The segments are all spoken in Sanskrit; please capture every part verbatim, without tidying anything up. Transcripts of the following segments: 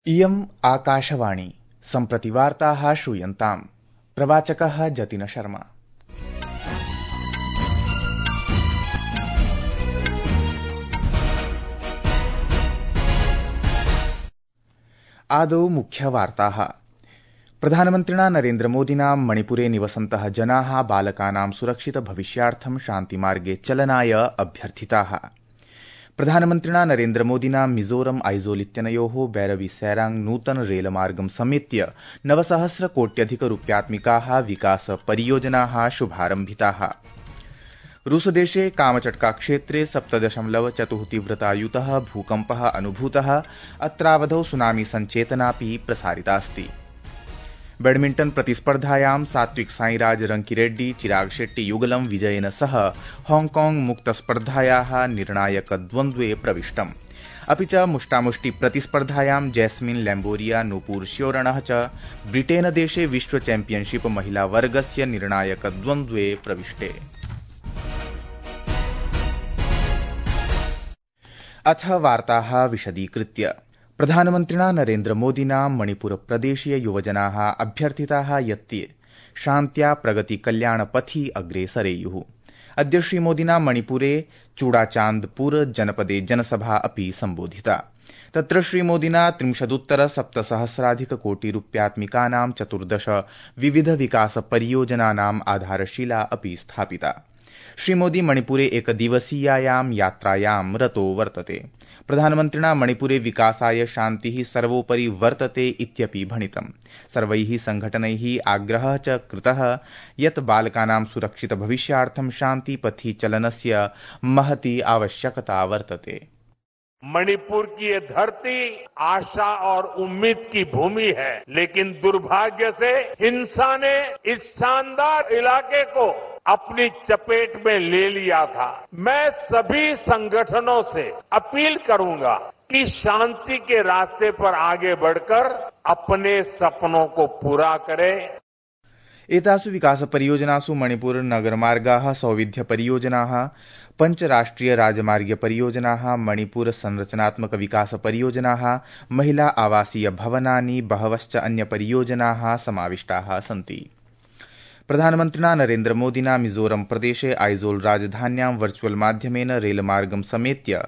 इयम् आकाशवाणी सम्प्रति वार्ताः श्रूयन्ताम्। प्रवाचकः जतिन शर्मा। आदौ मुख्यवार्ताः। प्रधानमन्त्रिणा नरेन्द्रमोदिना मणिपुरे निवसन्तः जनाः बालकानां सुरक्षित भविष्यार्थं शान्तिमार्गे चलनाय अभ्यर्थिताः। प्रधानमन्त्रिणा नरेन्द्रमोदिना मिजोरम आइजोल इत्यनयोः बैरबी सैरांग नूतन रेलमार्गं समेत्य नवसहस्र कोट्यधिक रूप्यात्मिकाः विकास परियोजनाः शुभारम्भिताः। रूसदेशे कामचट्का क्षेत्रे सप्तदशमलव चतुः तीव्रतायुतः भूकम्पः अनुभूतः। अत्रावधौ सुनामी सञ्चेतनापि प्रसारितास्ति। बैडमिण्टन प्रतिस्पर्धायां सात्विक साईराज रंकीरेड्डी चिराग शेट्टी युगलं विजयेन सह हांगकांग मुक्तस्पर्धायाः निर्णायकद्वन्द्वे प्रविष्टम्। अपि च मुष्टामुष्टि प्रतिस्पर्धायां जैस्मिन लैम्बोरिया नूपुर श्योरणः च ब्रिटेनदेशे विश्व चैम्पियनशिप महिला वर्गस्य निर्णायकद्वन्द्वे प्रविष्टे। अथ वार्ताः विशदीकृत्य। प्रधानमन्त्रिणा नरेन्द्रमोदिना मणिपुरप्रदेशीय युवजनाः अभ्यर्थिताः यत् ते शान्त्या प्रगति कल्याणपथि अग्रे सरेयुः। अद्य श्रीमोदिना मणिपुरे चूडाचान्दपुर जनपदे जनसभा अपि सम्बोधिता। तत्र श्रीमोदिना त्रिंशदुत्तर सप्तसहस्राधिक कोटिरूप्यात्मिकानां चतुर्दश विविध विकास परियोजनानाम् आधारशिला अपि स्थापिता। श्रीमोदी मणिपुरे एकदिवसीयायां यात्रायां रतो वर्तते। प्रधानमन्त्रिणा मणिपुरे विकासाय शान्तिः सर्वोपरि वर्तते इत्यपि भणितम्। सर्वैः संघटनैः आग्रहः च कृतः यत् बालकानां सुरक्षित भविष्यार्थं शान्तिपथि चलनस्य महती आवश्यकता वर्तते। मणिपुर की ये धरती आशा और उम्मीद की भूमि है, लेकिन दुर्भाग्य से हिंसा ने इस शानदार इलाके को अपनी चपेट में ले लिया था। मैं सभी संगठनों से अपील करूंगा कि शांति के रास्ते पर आगे बढ़कर अपने सपनों को पूरा करें। एतासु विकास परियोजनासु मणिपुर नगरमार्गाः, सौविध्य परियोजनाः, पंच राष्ट्रिय राजमार्ग परियोजनाः, मणिपुर संरचनात्मक विकास परियोजनाः, महिला आवासीय भवनानि, बहवश्च अन्य परियोजनाः समाविष्टाः सन्ति। प्रधानमन्त्रिणा नरेन्द्रमोदिना मिजोरम प्रदेशे आइजोल राजधान्यां वर्चुअल माध्यमेन रेलमार्गं समेत्य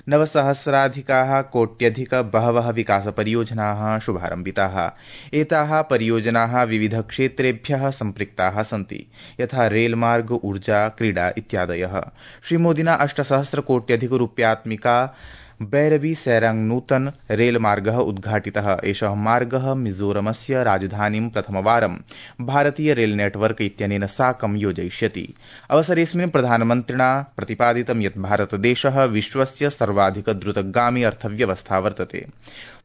नवसहस्राधिकाः कोट्यधिक बहवः विकास परियोजनाः शुभारम्भिताः। एताः परियोजनाः विविध क्षेत्रेभ्यः सम्पृक्ताः सन्ति, यथा रेलमार्ग, ऊर्जा, क्रीडा इत्यादयः। श्रीमोदिना अष्टसहस्र कोट्यधिक रूप्यात्मिका बैरबी सैरांग नूतन रेलमार्गः उद्घाटितः। एषः मार्गः मिजोरमस्य राजधानीं प्रथमवारं भारतीय रेल नेटवर्क इत्यनेन साकं योजयिष्यति। अवसरेऽस्मिन् प्रधानमन्त्रिणा प्रतिपादितं यत् भारतदेशः विश्वस्य सर्वाधिक द्रुतगामी अर्थव्यवस्था वर्तते।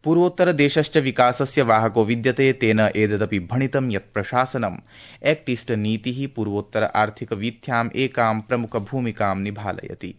पूर्वोत्तरदेशश्च विकासस्य वाहको विद्यते। तेन एतदपि भणितं यत् प्रशासनम् एक्ट ईस्ट नीतिः पूर्वोत्तर आर्थिकवीथ्याम् एकां प्रमुखभूमिकां निभालयति।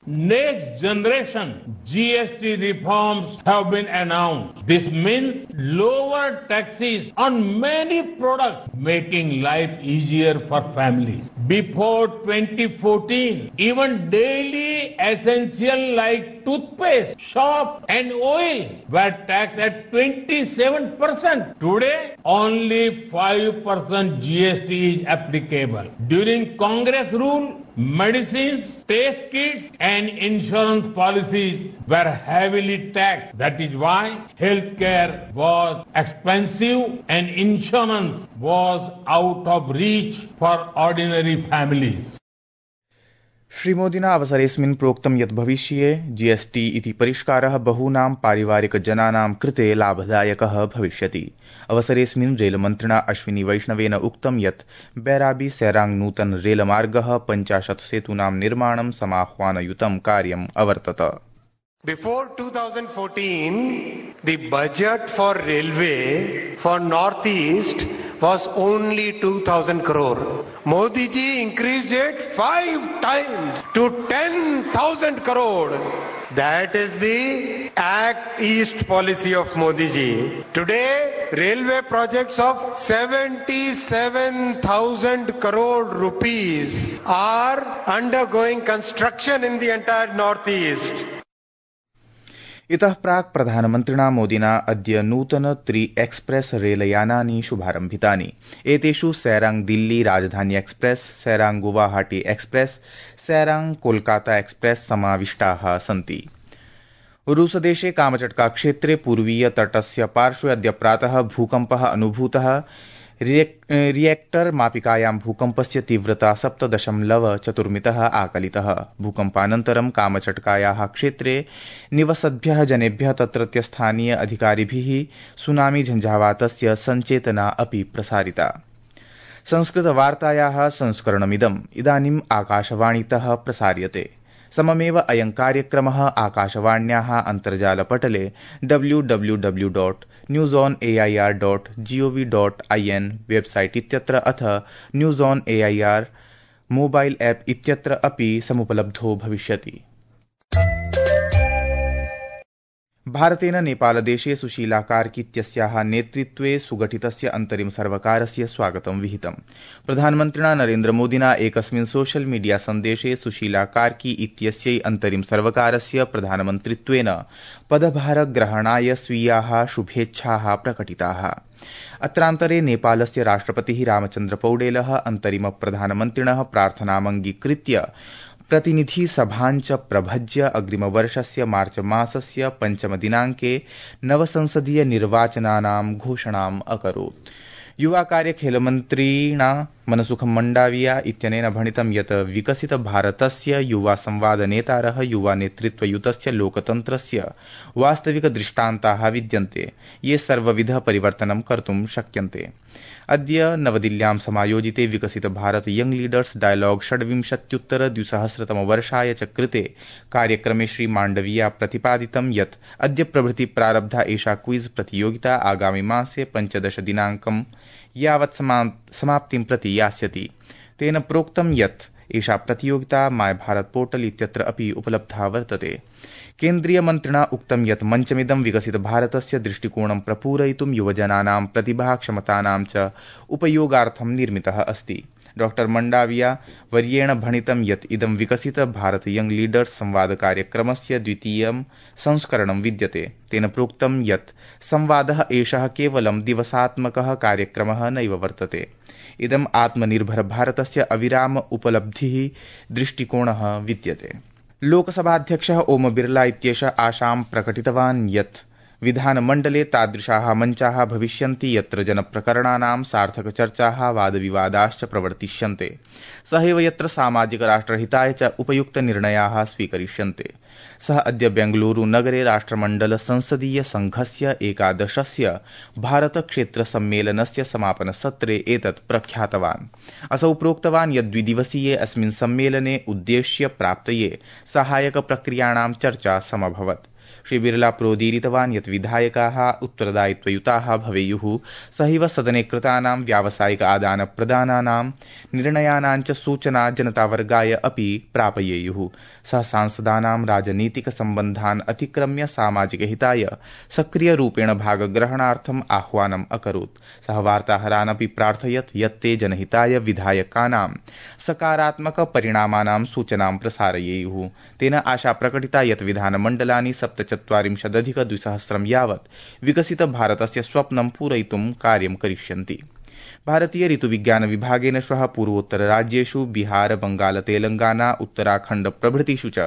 Next generation G S T reforms have been announced. This means lower taxes on many products, making life easier for families. Before twenty fourteen, even daily essential like toothpaste, soap and oil were taxed at twenty-seven percent. Today, only five percent G S T is applicable. During Congress rule, medicines, test kits and insurance policies were heavily taxed. That is why healthcare was expensive and insurance was out of reach for ordinary families. श्रीमोदिना अवसरेऽस्मिन् प्रोक्तं यत् भविष्ये जीएसटी इति परिष्कारः बहूनां पारिवारिकजनानां कृते लाभदायकः भविष्यति। अवसरेऽस्मिन् रेलमन्त्रिणा अश्विनी वैष्णवेन उक्तं यत् बैराबी सैरांग नूतन रेलमार्गः पञ्चाशत् सेतूनां निर्माणं समाह्वानयुतं कार्यम् अवर्तत। Before two thousand fourteen, the budget for railway for Northeast was only two thousand crore. Modi ji increased it five times to ten thousand crore. That is the Act East policy of Modi ji. Today, railway projects of seventy-seven thousand crore rupees are undergoing construction in the entire Northeast. इतः प्राक् प्रधानमन्त्रिणा मोदिना अद्य नूतन त्रि एक्सप्रेस रेलयानानि शुभारम्भितानि। एतेषु सैरांग दिल्ली राजधानी express, Sairang Guwahati express, Sairang Kolkata express समाविष्टाः सन्ति। रूसदेशे कामचट्का क्षेत्रे पूर्वीय तटस्य पार्श्वे अद्य प्रातः भूकम्पः अनुभूतः। रिएक्टर मापिकायां भूकम्पस्य तीव्रता सप्त दशमलव चतुर्मितः आकलितः। भूकम्पानन्तरं कामचट्कायाः क्षेत्रे निवसद्भ्यः जनेभ्यः तत्रत्य स्थानीय अधिकारिभिः सुनामी झञ्झावातस्य सञ्चेतना अपि प्रसारिता। संस्कृतवार्तायाः संस्करणमिदम् इदानीम् आकाशवाणीतः प्रसार्यते। सममेव अयं कार्यक्रमः आकाशवाण्याः अन्तर्जालपटले W W W dot news on A I R dot G O V dot I N website इत्यत्र अथ news on A I R mobile app इत्यत्र अपि समुपलब्धो भविष्यति। भारतेन नेपालदेशे सुशीला कार्की इत्यस्याः नेतृत्वे सुगठितस्य अन्तरिम सर्वकारस्य स्वागतं विहितम्। प्रधानमन्त्रिणा नरेन्द्रमोदिना एकस्मिन् सोशल मीडिया सन्देशे सुशीला कार्की इत्यस्यै अन्तरिम सर्वकारस्य प्रधानमन्त्रित्वेन पदभारग्रहणाय स्वीयाः शुभेच्छाः प्रकटिताः। अत्रान्तरे नेपालस्य राष्ट्रपतिः रामचन्द्र पौडेलः अन्तरिम प्रधानमन्त्रिणः प्रार्थनामङ्गीकृत्य प्रतिनिधि सभाञ्च प्रभज्य अग्रिमवर्षस्य मार्च मासस्य पञ्चमदिनाङ्के नवसंसदीय निर्वाचनानां घोषणाम् अकरोत्। युवा कार्य खेलमन्त्रिणा मनसुखं मण्डाविया इत्यनेन भणितं यत् विकसित भारतस्य युवा संवाद नेतारः युवा नेतृत्वयुतस्य लोकतन्त्रस्य वास्तविक दृष्टान्ताः विद्यन्ते, ये सर्वविध परिवर्तनं कर्तुं शक्यन्ते। अद्य नवदिल्ल्यां समायोजिते विकसित भारत यंग लीडर्स डायलॉग षड्विंशत्युत्तर द्विसहस्रतमवर्षाय च कृते कार्यक्रमे श्री माण्डविया प्रतिपादितं यत् अद्य प्रभृति प्रारब्धा एषा क्विज प्रतियोगिता आगामि मासे पञ्चदश दिनाङ्कं यावत् समाप्तिं प्रति यास्यति। तेन प्रोक्तं यत् एषा प्रतियोगिता माय भारत पोर्टल इत्यत्र अपि उपलब्धा वर्तते। केन्द्रीयमन्त्रिणा उक्तं यत् मञ्चमिदं विकसित भारतस्य दृष्टिकोणं प्रपूरयितुं युवजनानां प्रतिभाक्षमतानां च उपयोगार्थं निर्मितः अस्ति। डॉ मण्डाविया वर्येण भणितं यत् इदं विकसित भारत यंग लीडर्स संवाद कार्यक्रमस्य द्वितीयं संस्करणं विद्यते। तेन प्रोक्तं यत् संवादः एषः केवलं दिवसात्मकः कार्यक्रमः नैव वर्तते। इदम् आत्मनिर्भर भारतस्य अविराम उपलब्धिः दृष्टिकोणः विद्यते। लोकसभाध्यक्षः ओम बिरला इत्येषः आशां प्रकटितवान् यत् विधानमण्डले तादृशाः मञ्चाः भविष्यन्ति यत्र जनप्रकरणानां सार्थकचर्चाः वादविवादाश्च प्रवर्तिष्यन्ते, सहैव यत्र सामाजिक राष्ट्रहिताय च उपयुक्तनिर्णयाः स्वीकरिष्यन्ते। सः अद्य बेंगलुरु नगरे राष्ट्रमण्डल संसदीय संघस्य एकादशस्य भारतक्षेत्रसम्मेलनस्य समापनसत्रे एतत् प्रख्यातवान्। असौ प्रोक्तवान् यत् द्विदिवसीये अस्मिन् सम्मेलने उद्देश्य प्राप्तये सहायकप्रक्रियाणां चर्चा समभवत्। श्री बिरला प्रोदीरितवान् यत् विधायकाः उत्तरदायित्वयुताः भवेयुः, सहैव सदने कृतानां व्यावसायिक आदानप्रदानानां निर्णयानां च सूचना जनतावर्गाय अपि प्रापयेयुः। सः सांसदानां राजनीतिक सम्बन्धान् अतिक्रम्य सामाजिकहिताय सक्रियरूपेण भागग्रहणार्थम् आह्वानम् अकरोत्। सः वार्ताहरान् अपि प्रार्थयत् यत् ते जनहिताय विधायकानां सकारात्मक परिणामानां सूचनां प्रसारयेयुः। तेन आशा प्रकटिता यत् विधानमण्डलानि सप्तचत्वारिंशदधिक द्विसहस्रं यावत् विकसित भारतस्य स्वप्नं पूरयितुं कार्यं करिष्यन्ति। भारतीय ऋतुविज्ञान विभागेन श्वः पूर्वोत्तरराज्येषु बिहार, बंगाल, तेलंगाना, उत्तराखण्ड प्रभृतिषु च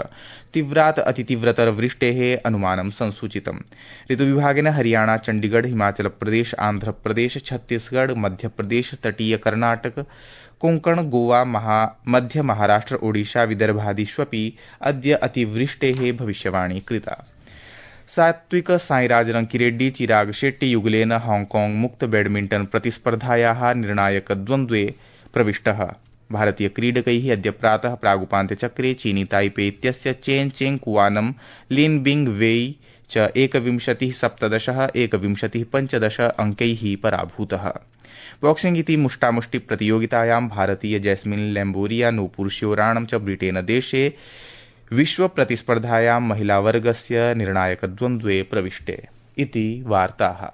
तीव्रात् अतितीव्रतर वृष्टेः अनुमानं संसूचितम्। ऋतुविभागेन हरियाणा, चण्डीगढ़, हिमाचल प्रदेश, आंध्र प्रदेश, छत्तीसगढ़, मध्यप्रदेश, तटीय कर्नाटक, कोंकण, गोवा, महा मध्य महाराष्ट्र, ओडिशा, विदर्भादिष्वपि अद्य अतिवृष्टेः भविष्यवाणी कृता। सात्विक साईराज रंकिरेड्डी चिराग शेट्टी युगलेन हांगकांग मुक्त बैडमिंटन प्रतिस्पर्धायाः निर्णायक द्वन्द्वे प्रविष्टः। भारतीय क्रीडकैः अद्य प्रातः प्रागुपान्त्यचक्रे चीनी ताइपे इत्यस्य चेन चेंग कुआनं लिन बिंग वेई च एकविंशतिः सप्तदशः एकविंशतिः पञ्चदश अंकैः पराभूतः। बॉक्सिंग इति मुष्टामुष्टि प्रतियोगितायां भारतीय जैस्मिन लैम्बोरिया नूपुर शिवराणं च ब्रिटेन देशे विश्व प्रतिस्पर्धायां महिलावर्गस्य निर्णायकद्वन्द्वे प्रविष्टे इति वार्ताः।